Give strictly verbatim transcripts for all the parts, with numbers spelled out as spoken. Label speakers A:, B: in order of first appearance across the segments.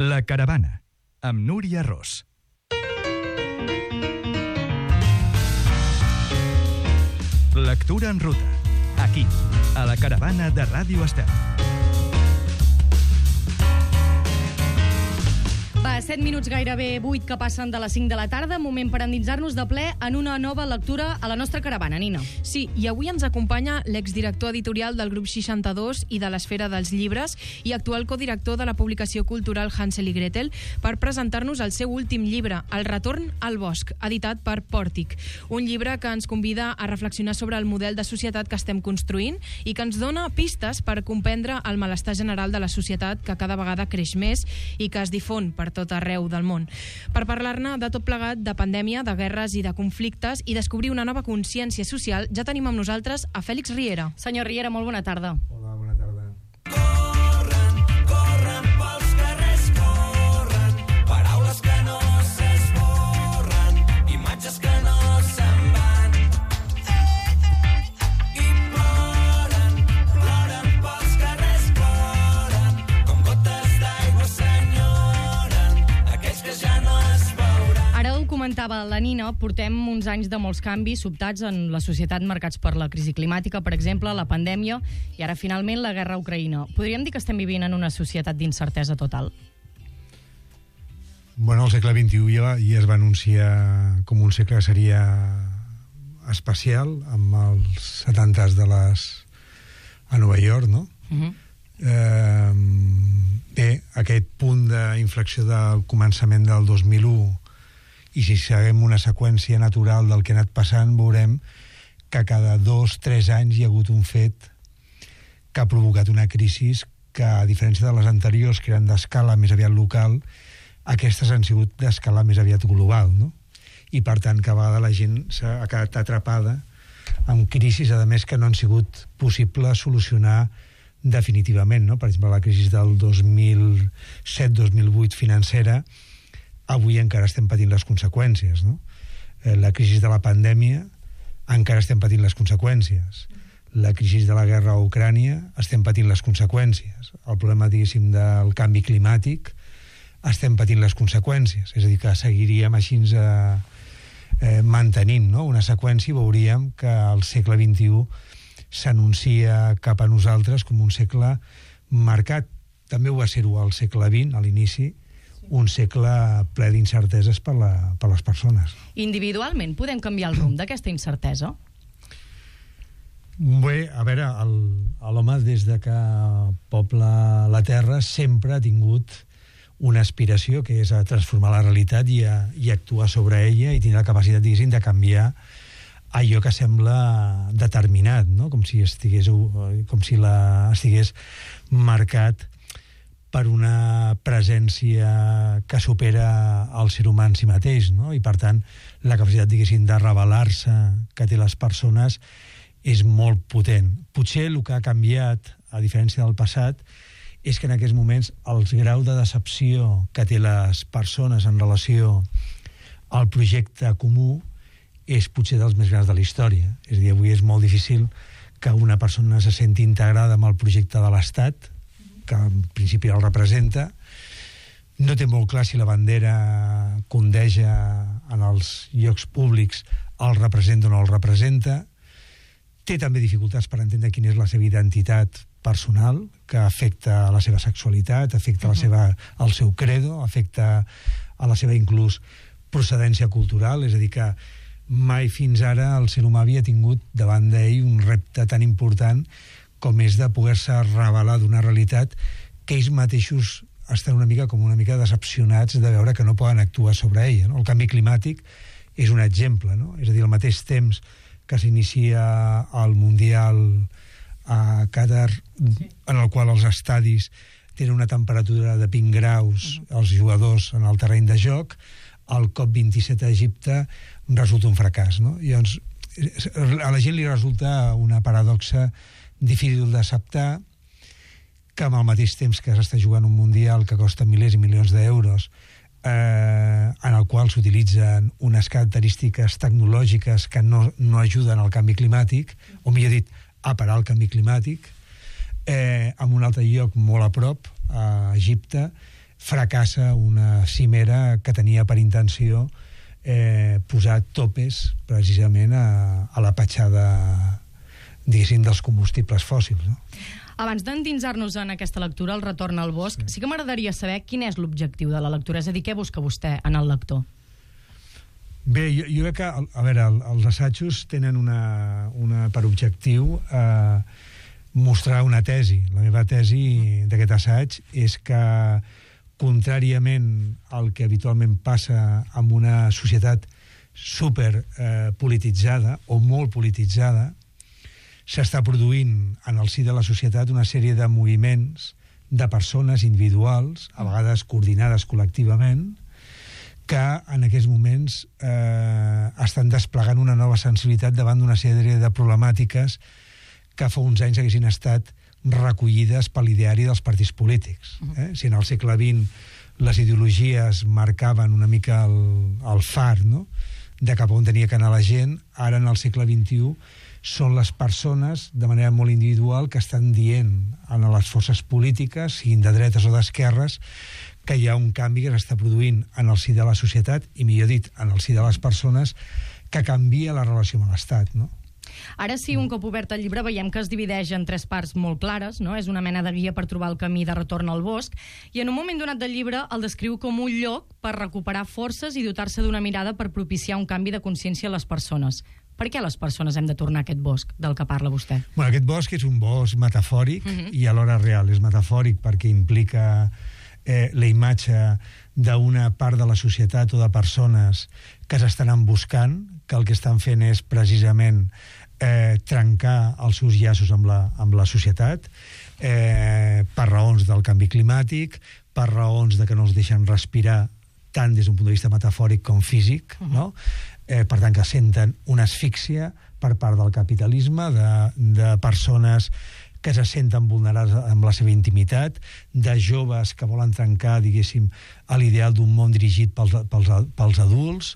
A: La Caravana, amb Núria Ros. Lectura en ruta, aquí, a La Caravana de Ràdio Estel.
B: Va, set minuts gairebé vuit que passen de les cinc de la tarda, moment per endinsar-nos de ple en una nova lectura a la nostra caravana, Nina.
C: Sí, i avui ens acompanya l'exdirector editorial del grup seixanta-dos i de l'Esfera dels Llibres i actual codirector de la publicació cultural Hansel i Gretel per presentar-nos el seu últim llibre, El retorn al bosc, editat per Pòrtic. Un llibre que ens convida a reflexionar sobre el model de societat que estem construint i que ens dona pistes per comprendre el malestar general de la societat que cada vegada creix més i que es difon per tot arreu del món. Per parlar-ne de tot plegat, de pandèmia, de guerres i de conflictes i descobrir una nova consciència social, ja tenim amb nosaltres a Fèlix Riera.
B: Senyor Riera, molt bona tarda.
D: Hola, bona tarda.
E: Corren, corren pels carrers, corren, paraules que no s'esborren, imatges que no se'n van. I ploren, ploren pels carrers, ploren, com gotes d'aigua s'enyoren, aquells que ja no es veuran.
B: Ara ho comentava la Nina, portem uns anys de molts canvis sobtats en la societat marcats per la crisi climàtica, per exemple, la pandèmia, i ara finalment la guerra a Ucraïna. Podríem dir que estem vivint en una societat d'incertesa total?
D: Bueno, el segle vint-i-u ja, ja es va anunciar com un segle que seria especial, amb els setantes de les... a Nova York, no?
B: Uh-huh.
D: Eh, bé, aquest punt d'inflexió del començament del dos mil u, i si seguim una seqüència natural del que ha anat passant, veurem que cada dos, tres anys hi ha hagut un fet que ha provocat una crisi que, a diferència de les anteriors, que eren d'escala més aviat local, aquestes han sigut d'escala més aviat global, no? I, per tant, cada vegada la gent s'ha quedat atrapada amb crisis, a més, que no han sigut possibles solucionar definitivament, no? Per exemple, la crisi del dos mil set dos mil vuit financera, avui encara estem patint les conseqüències, no? La crisi de la pandèmia, encara estem patint les conseqüències. La crisi de la guerra a Ucrània, estem patint les conseqüències. El problema, diguéssim, del canvi climàtic, estem patint les conseqüències. És a dir, que seguiríem així eh, eh, mantenint, no? Una seqüència i veuríem que el segle vint-i-u s'anuncia cap a nosaltres com un segle marcat. També ho va ser-ho al segle vint, a l'inici, un segle ple d'incerteses per, la, per les persones.
B: Individualment podem canviar el rumb d'aquesta incertesa?
D: Bé, a veure, l'home des de que pobla la Terra sempre ha tingut una aspiració, que és a transformar la realitat i, a, i actuar sobre ella i tenir la capacitat, diguéssim, de canviar allò que sembla determinat, no? Com si estigués, com si la, estigués marcat per una presència que supera el ser humà en si mateix, no? I, per tant, la capacitat, diguéssim, de revelar-se que té les persones és molt potent. Potser el que ha canviat, a diferència del passat, és que en aquests moments el grau de decepció que té les persones en relació al projecte comú és potser dels més grans de la història. És a dir, avui és molt difícil que una persona se senti integrada amb el projecte de l'Estat, que en principi el representa, no té molt clar si la bandera que ondeja en els llocs públics el representa o no el representa, té també dificultats per entendre quina és la seva identitat personal, que afecta a la seva sexualitat, afecta a la seva, al seu credo, afecta a la seva inclús procedència cultural, és a dir, que mai fins ara el ser humà havia tingut davant d'ell un repte tan important com és de poder-se revelar d'una realitat que ells mateixos estan una mica com una mica decepcionats de veure que no poden actuar sobre ella, no? El canvi climàtic és un exemple, no? És a dir, al mateix temps que s'inicia el Mundial a Qatar, en el qual els estadis tenen una temperatura de vint graus, els jugadors en el terreny de joc, el COP vint-i-set a Egipte resulta un fracàs, no? I llavors, a la gent li resulta una paradoxa difícil d'acceptar que amb el mateix temps que s'està jugant un mundial que costa milers i milions d'euros, eh, en el qual s'utilitzen unes característiques tecnològiques que no, no ajuden al canvi climàtic, o millor dit, a parar el canvi climàtic, eh, en un altre lloc molt a prop, a Egipte, fracassa una cimera que tenia per intenció eh, posar topes precisament a, a la petjada, diguéssim, dels combustibles fòssils, no?
B: Abans d'endinsar-nos en aquesta lectura, El retorn al bosc, sí, sí que m'agradaria saber quin és l'objectiu de la lectura, és a dir, què busca vostè en el lector?
D: Bé, jo, jo crec que, a veure, el, els assajos tenen una, una per objectiu eh, mostrar una tesi. La meva tesi d'aquest assaig és que, contràriament al que habitualment passa en una societat super eh, polititzada o molt polititzada, s'està produint en el si de la societat una sèrie de moviments de persones individuals, a vegades coordinades col·lectivament, que en aquests moments eh, estan desplegant una nova sensibilitat davant d'una sèrie de problemàtiques que fa uns anys haguessin estat recollides per l'ideari dels partits polítics. Eh? Si en el segle vint les ideologies marcaven una mica el, el far, no?, de cap on tenia que anar la gent, ara en el segle vint-i-u són les persones, de manera molt individual, que estan dient a les forces polítiques, siguin de dretes o d'esquerres, que hi ha un canvi que s'està produint en el si de la societat, i millor dit, en el si de les persones, que canvia la relació amb l'Estat, no?
B: Ara sí, un cop obert el llibre, veiem que es divideix en tres parts molt clares, no? És una mena de guia per trobar el camí de retorn al bosc, i en un moment donat del llibre el descriu com un lloc per recuperar forces i dotar-se d'una mirada per propiciar un canvi de consciència a les persones. Per què les persones hem de tornar a aquest bosc del que parla vostè?
D: Bueno, aquest bosc és un bosc metafòric uh-huh. i alhora real. És metafòric perquè implica eh, la imatge d'una part de la societat o de persones que s'estan emboscant, que el que estan fent és precisament eh, trencar els seus llaços amb la, amb la societat eh, per raons del canvi climàtic, per raons de que no els deixen respirar tant des d'un punt de vista metafòric com físic, uh-huh. no? Eh, per tant, que senten una asfíxia per part del capitalisme, de, de persones que se senten vulnerats amb la seva intimitat, de joves que volen trencar, diguéssim, l'ideal d'un món dirigit pels, pels, pels adults,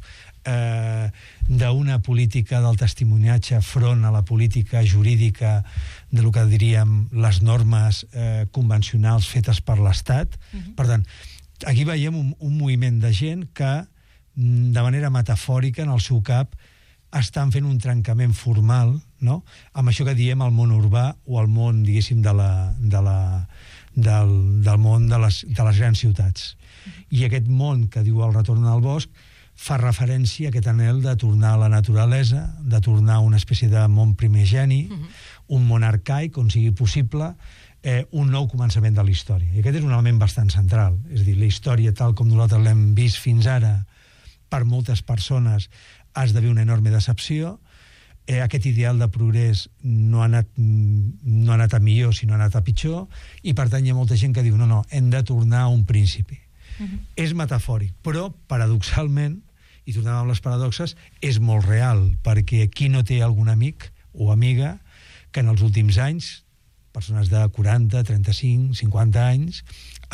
D: eh, d'una política del testimoniatge front a la política jurídica de lo que diríem les normes eh, convencionals fetes per l'Estat. Uh-huh. Per tant, aquí veiem un, un moviment de gent que de manera metafòrica en el seu cap estan fent un trencament formal, no?, amb això que diem el món urbà o el món, diguéssim, de la, de la, del, del món de les, de les grans ciutats. I aquest món que diu El retorn al bosc fa referència a aquest anhel de tornar a la naturalesa, de tornar a una espècie de món primigeni, uh-huh. un món arcaic on sigui possible eh, un nou començament de la història. I aquest és un element bastant central. És a dir, la història tal com nosaltres l'hem vist fins ara per moltes persones ha esdevé una enorme decepció. Eh, aquest ideal de progrés no ha, anat, no ha anat a millor, sinó ha anat a pitjor, i per tant hi ha molta gent que diu no, no, hem de tornar a un principi. Uh-huh. És metafòric, però paradoxalment, i tornem amb les paradoxes, és molt real, perquè qui no té algun amic o amiga que en els últims anys, persones de quaranta, trenta-cinc, cinquanta anys,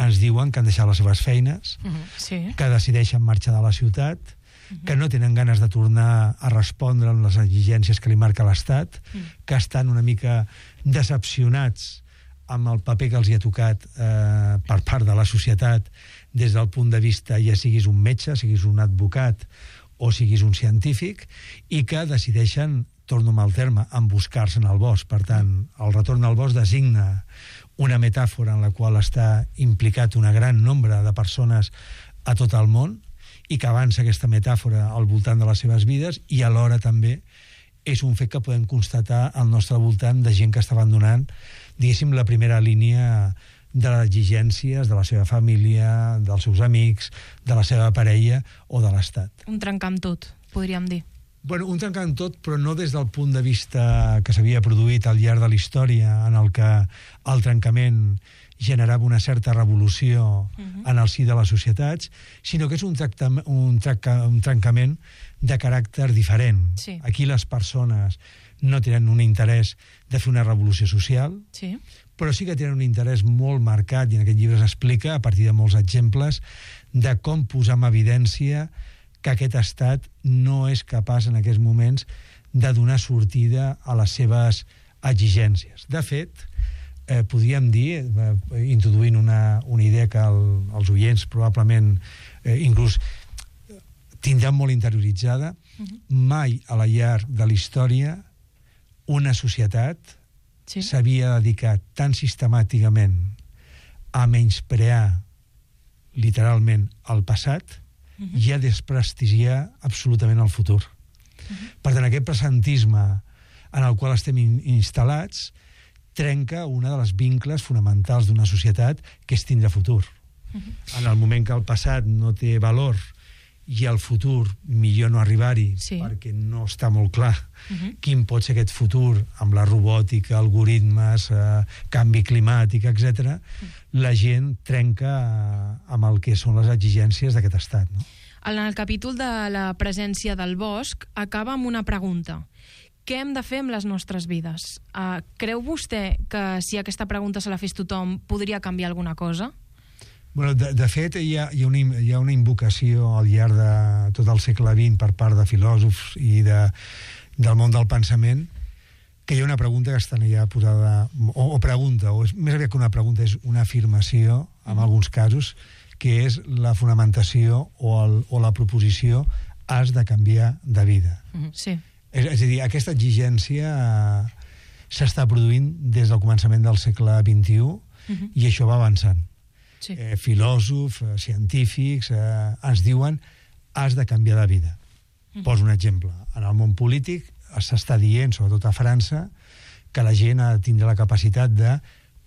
D: ens diuen que han deixat les seves feines, uh-huh. sí. que decideixen marxar de la ciutat, uh-huh. que no tenen ganes de tornar a respondre amb les exigències que li marca l'Estat, uh-huh. que estan una mica decepcionats amb el paper que els hi ha tocat eh, per part de la societat des del punt de vista, ja siguis un metge, siguis un advocat o siguis un científic, i que decideixen, torno amb el terme, emboscar-se en el bosc. Per tant, el retorn al bosc designa una metàfora en la qual està implicat un gran nombre de persones a tot el món i que avança aquesta metàfora al voltant de les seves vides, i alhora també és un fet que podem constatar al nostre voltant de gent que està abandonant, diguéssim, la primera línia de les exigències de la seva família, dels seus amics, de la seva parella o de l'Estat.
C: Un trencar amb tot, podríem dir.
D: Bueno, un trencar amb tot, però no des del punt de vista que s'havia produït al llarg de la història, en el que el trencament generava una certa revolució uh-huh. en el si de les societats, sinó que és un, un, trenca un trencament de caràcter diferent.
C: Sí.
D: Aquí les persones no tenen un interès de fer una revolució social,
C: sí.
D: però sí que tenen un interès molt marcat, i en aquest llibre s'explica, a partir de molts exemples, de com posar en evidència que aquest estat no és capaç en aquests moments de donar sortida a les seves exigències. De fet, eh, podríem dir, eh, introduint una, una idea que el, els oients probablement eh, inclús tindran molt interioritzada, uh-huh. mai a la llarg de la història una societat sí. s'havia dedicat tan sistemàticament a menysprear literalment el passat uh-huh. i a desprestigiar absolutament el futur. Uh-huh. Per tant, aquest presentisme en el qual estem in- instal·lats trenca una de les vincles fonamentals d'una societat, que és tindre futur. Uh-huh. En el moment que el passat no té valor i el futur millor no arribar-hi sí. perquè no està molt clar uh-huh. quin pot ser aquest futur amb la robòtica, algoritmes, eh, canvi climàtic, etcètera, uh-huh. la gent trenca eh, amb el que són les exigències d'aquest estat. No?
C: En el capítol de la presència del bosc acaba amb una pregunta. Què hem de fer amb les nostres vides? Uh, creu vostè que si aquesta pregunta se la fes tothom podria canviar alguna cosa?
D: Bueno, de, de fet, hi ha, hi, ha una, hi ha una invocació al llarg de tot el segle vint per part de filòsofs i de, del món del pensament, que hi ha una pregunta que està allà posada, o, o pregunta, o és, més aviat que una pregunta, és una afirmació, en mm. alguns casos, que és la fonamentació o, el, o la proposició has de canviar de vida.
C: Mm-hmm. Sí.
D: És, és a dir, aquesta exigència eh, s'està produint des del començament del segle vint-i-u mm-hmm. i això va avançant. Sí. Eh, filòsofs, eh, científics, eh, ens diuen has de canviar de vida. Mm. Poso un exemple. En el món polític s'està dient, sobretot a França, que la gent ha de tindre la capacitat de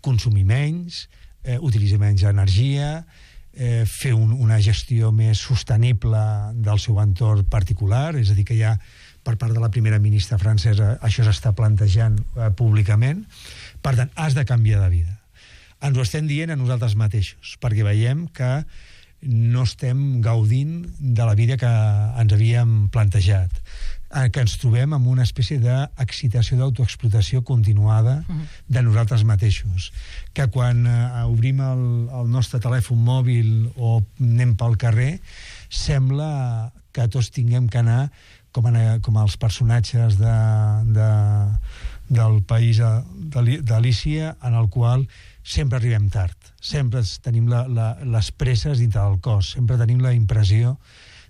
D: consumir menys, eh, utilitzar menys energia, eh, fer un, una gestió més sostenible del seu entorn particular, és a dir, que ja per part de la primera ministra francesa això s'està plantejant eh, públicament. Per tant, has de canviar de vida. Ens ho estem dient a nosaltres mateixos, perquè veiem que no estem gaudint de la vida que ens havíem plantejat, que ens trobem amb una espècie d'excitació d'autoexplotació continuada de nosaltres mateixos, que quan uh, obrim el, el nostre telèfon mòbil o anem pel carrer, sembla que tots tinguem que anar com, en, com els personatges de, de, del país d'Alícia, en el qual sempre arribem tard, sempre tenim la, la, les presses dintre del cos, sempre tenim la impressió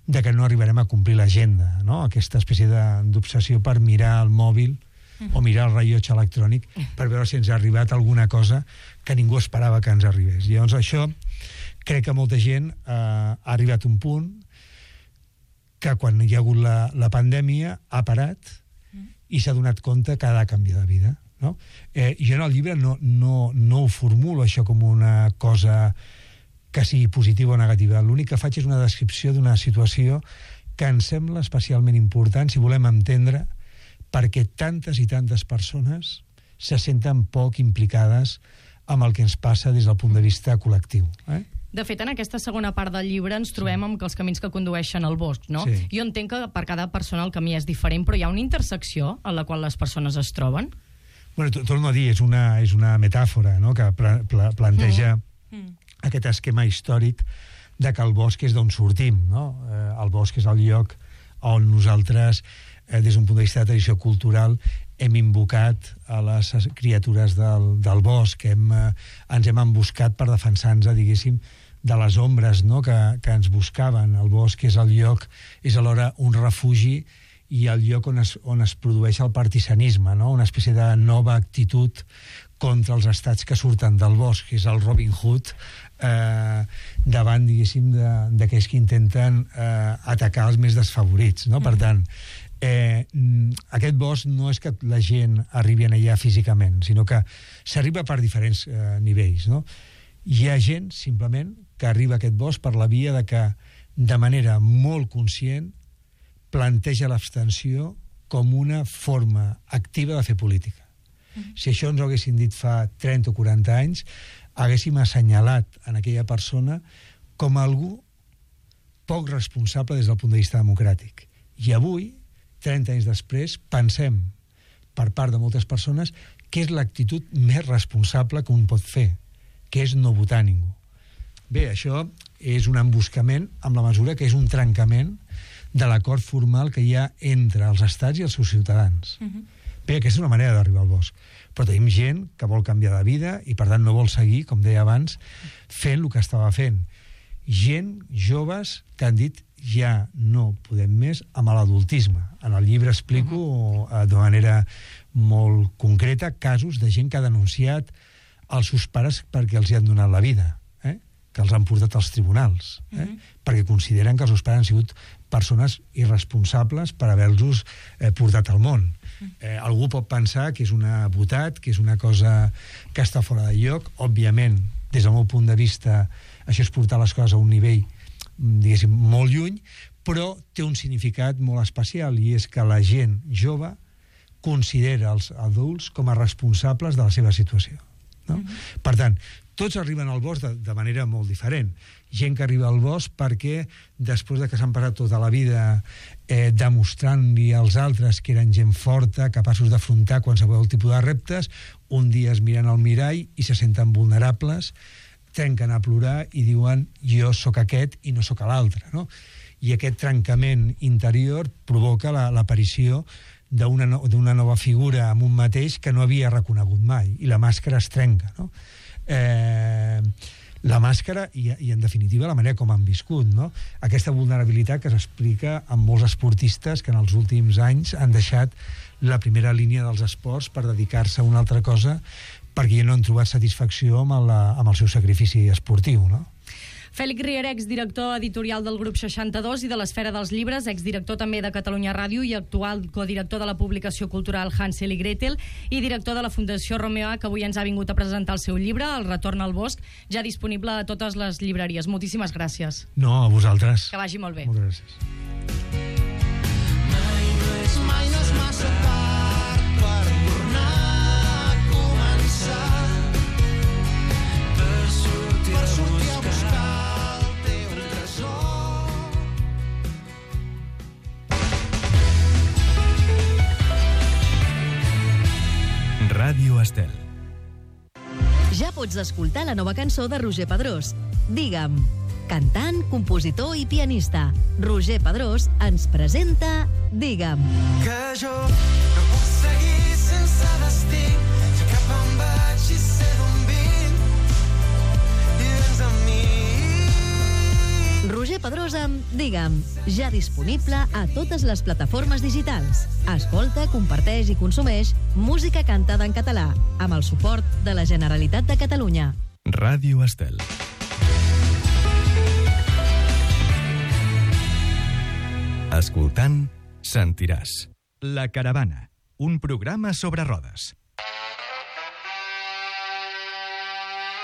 D: de que no arribarem a complir l'agenda, no? Aquesta espècie d'obsessió per mirar el mòbil o mirar el rellotge electrònic per veure si ens ha arribat alguna cosa que ningú esperava que ens arribés. Llavors això, crec que molta gent eh, ha arribat a un punt que quan hi ha hagut la, la pandèmia ha parat i s'ha donat compte que ha de canviar de vida. No? Eh, jo en el llibre no, no, no ho formulo això com una cosa que sigui positiva o negativa. L'únic que faig és una descripció d'una situació que em sembla especialment important si volem entendre perquè tantes i tantes persones se senten poc implicades amb el que ens passa des del punt de vista col·lectiu. Eh?
B: De fet, en aquesta segona part del llibre ens trobem sí. amb que els camins que condueixen al bosc, no? Sí. Jo entenc que per cada persona el camí és diferent, però hi ha una intersecció en la qual les persones es troben?
D: Bueno, torno a dir, és una, és una metàfora, no?, que pla, pla, planteja mm. Mm. aquest esquema històric de que el bosc és d'on sortim, no? Eh, el bosc és el lloc on nosaltres, eh, des d'un punt de vista de tradició cultural, hem invocat a les criatures del, del bosc, hem, eh, ens hem emboscat per defensar-nos, diguéssim, de les ombres, no?, que, que ens buscaven. El bosc és el lloc, és alhora un refugi i el lloc on es, on es produeix el partisanisme, no? Una espècie de nova actitud contra els estats que surten del bosc, que és el Robin Hood, eh, davant, diguéssim, d'aquells que intenten eh, atacar els més desfavorits, no? Mm. Per tant, eh, aquest bosc no és que la gent arribi allà físicament, sinó que s'arriba per diferents eh, nivells, no? Hi ha gent, simplement, que arriba a aquest bosc per la via de que, de manera molt conscient, planteja l'abstenció com una forma activa de fer política. Mm-hmm. Si això ens ho haguessin dit fa trenta o quaranta anys, haguéssim assenyalat en aquella persona com algú poc responsable des del punt de vista democràtic. I avui, trenta anys després, pensem, per part de moltes persones, que és l'actitud més responsable que un pot fer, que és no votar ningú. Bé, això és un emboscament amb la mesura que és un trencament de l'acord formal que hi ha entre els estats i els seus ciutadans. Uh-huh. Bé, aquesta és una manera d'arribar al bosc. Però tenim gent que vol canviar de vida i, per tant, no vol seguir, com deia abans, fent el que estava fent. Gent, joves, que han dit ja no podem més amb l'adultisme. En el llibre explico uh-huh. d'una manera molt concreta casos de gent que ha denunciat els seus pares perquè els hi han donat la vida, eh? que els han portat als tribunals, eh? uh-huh. perquè consideren que els seus pares han sigut persones irresponsables per haver-los eh, portat al món. Eh, algú pot pensar que és una botat, que és una cosa que està fora de lloc. Òbviament, des del meu punt de vista, això és portar les coses a un nivell, diguéssim, molt lluny, però té un significat molt especial, i és que la gent jove considera els adults com a responsables de la seva situació. No? Mm-hmm. Per tant, tots arriben al bosc de, de manera molt diferent. Gent que arriba al bosc perquè després de que s'han passat tota la vida eh, demostrant-li als altres que eren gent forta, capaços d'afrontar qualsevol tipus de reptes, un dia es miren al mirall i se senten vulnerables, trenquen a plorar i diuen jo sóc aquest i no sóc l'altre, no? I aquest trencament interior provoca la, l'aparició d'una no, d'una nova figura amb un mateix que no havia reconegut mai, i la màscara es trenca, no? Eh, la màscara i, i en definitiva la manera com han viscut, no? Aquesta vulnerabilitat que s'explica amb molts esportistes que en els últims anys han deixat la primera línia dels esports per dedicar-se a una altra cosa perquè ja no han trobat satisfacció amb el, amb el seu sacrifici esportiu, no?
B: Fèlix Riera, exdirector editorial del grup seixanta-dos i de l'Esfera dels Llibres, exdirector també de Catalunya Ràdio i actual codirector de la publicació cultural Hansel i Gretel i director de la Fundació Romeoa, que avui ens ha vingut a presentar el seu llibre, El retorn al bosc, ja disponible a totes les llibreries. Moltíssimes gràcies.
D: No, a vosaltres.
B: Que vagi molt bé.
D: Moltes gràcies.
E: Mai no és, mai no és massa tard per tornar a començar, per sortir, per sortir a buscar el teu tresor.
A: Ràdio Estel.
F: Ja pots escoltar la nova cançó de Roger Pedrós, Digue'm. Cantant, compositor i pianista, Roger Pedrós ens presenta Digue'm.
E: Que jo no puc seguir sense destí, sé cap on vaig i sé d'on vinc, i vens amb mi.
F: Roger Pedrós amb Digue'm, ja disponible a totes les plataformes digitals. Escolta, comparteix i consumeix música cantada en català, amb el suport de la Generalitat de Catalunya.
A: Ràdio Estel. Escoltant, sentiràs. La Caravana, un programa sobre rodes.